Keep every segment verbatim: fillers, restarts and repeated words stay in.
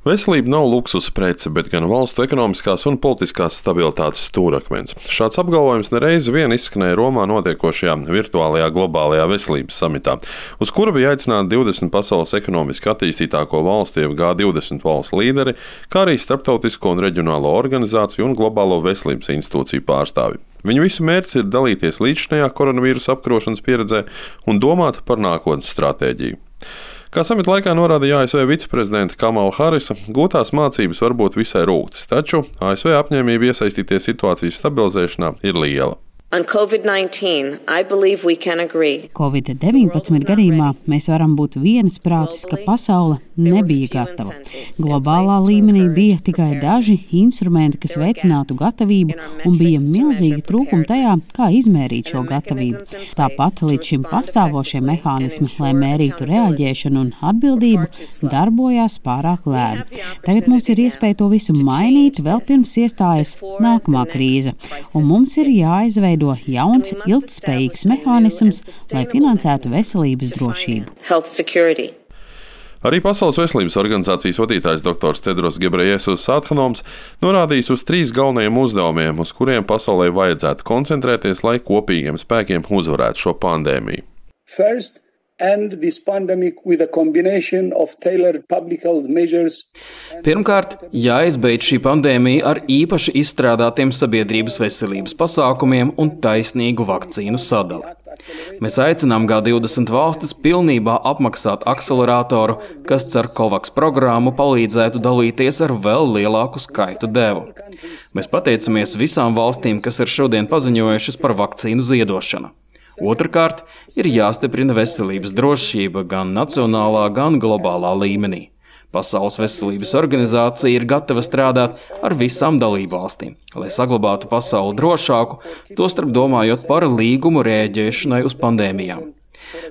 Veselība nav luksusa prece, bet gan valstu ekonomiskās un politiskās stabilitātes stūrakmens. Šāds apgalvojums nereiz vien izskanēja Romā notiekošajā virtuālajā globālajā veselības samitā, uz kura bija aicināti divdesmit pasaules ekonomiski attīstītāko valstu, jeb G divdesmit valstu līderi, kā arī starptautisko un reģionālo organizāciju un globālo veselības institūciju pārstāvji. Viņu visu mērķis ir dalīties līdzšinējā koronavīrusa apkarošanas pieredzē un domāt par nākotnes stratēģiju. Kā samita laikā norādīja A S V viceprezidente Kamala Harisa, gūtās mācības var būt visai rūgtas, taču A S V apņēmība iesaistīties situācijas stabilizēšanā ir liela. covid deviņpadsmit gadījumā mēs varam būt viensprātis, ka pasaule nebija gatava. Globālā līmenī bija tikai daži instrumenti, kas veicinātu gatavību, un bija milzīgi trūkumi tajā, kā izmērīt šo gatavību. Tāpat līdz šim pastāvošie mehānismi, lai mērītu reaģēšanu un atbildību, darbojās pārāk lēni. Tagad mums ir iespēja to visu mainīt, vēl pirms iestājas nākamā krīze, un mums ir jāizveido jauns, ilgtspējīgs mehānisms, lai finansētu veselības drošību. Arī Pasaules veselības organizācijas vadītājs doktors Tedros Gebreyesus Adhanoms norādījis uz trīs galvenajiem uzdevumiem, uz kuriem pasaulē vajadzētu koncentrēties, lai kopīgiem spēkiem uzvarētu šo pandēmiju. First, end this pandemic with a combination of tailored public health measures. Pirmkārt, jāizbeidz šī pandēmija ar īpaši izstrādātiem sabiedrības veselības pasākumiem un taisnīgu vakcīnu sadali. Mēs aicinām G divdesmit valstis pilnībā apmaksāt akceleratoru, kas caur COVAX programmu palīdzētu dalīties ar vēl lielāku skaitu devu. Mēs pateicamies visām valstīm, kas ir šodien paziņojušas par vakcīnu ziedošanu. Otrakārt, ir jāstiprina veselības drošība gan nacionālā, gan globālā līmenī. Pasaules veselības organizācija ir gatava strādāt ar visām dalībvalstīm, lai saglabātu pasauli drošāku, tostarp domājot par līgumu rēģēšanai uz pandēmijām.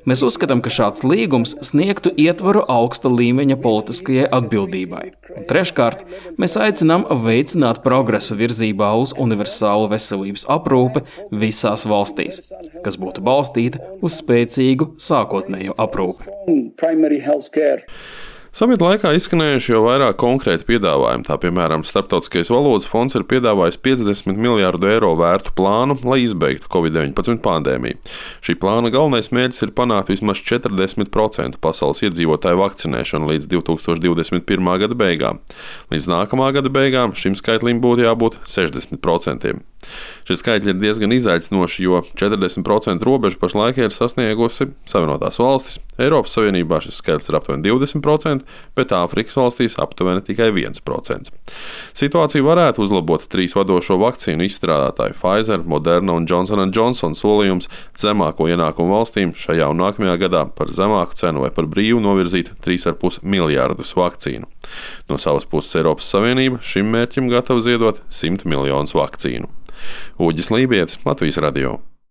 Mēs uzskatām, ka šāds līgums sniegtu ietvaru augsta līmeņa politiskajai atbildībai. Un treškārt, mēs aicinām veicināt progresu virzībā uz universālu veselības aprūpi visās valstīs, kas būtu balstīta uz spēcīgu sākotnējo aprūpi. Samita laikā izskanējuši jau vairāk konkrēti piedāvājumi, tā piemēram Starptautiskais valūtas fonds ir piedāvājis piecdesmit miljārdu eiro vērtu plānu, lai izbeigtu covid deviņpadsmit pandēmiju. Šī plāna galvenais mērķis ir panākt vismaz četrdesmit procentu pasaules iedzīvotāju vakcinēšanu līdz divi tūkstoši divdesmit pirmā gada beigām. Līdz nākamā gada beigām šim skaitlim būtu jābūt sešdesmit procentiem. Šie skaitļi ir diezgan izaicinoši, jo četrdesmit procentu robežu pašlaik ir sasniegusi Savienotās valstis. Eiropas Savienībā šis skaitlis ir aptuveni divdesmit procenti, bet Āfrikas valstīs aptuveni tikai viens procents. Situāciju varētu uzlabot trīs vadošo vakcīnu izstrādātāju Pfizer, Moderna un Johnson and Johnson solījums zemāko ienākumu valstīm šajā un nākamajā gadā par zemāku cenu vai par brīvu novirzīt trīs ar pus miljārdus vakcīnu. No savas puses Eiropas Savienība šim mērķim gatava ziedot simt miljonus vakcīnu. Uģis Lībietis, Latvijas radio.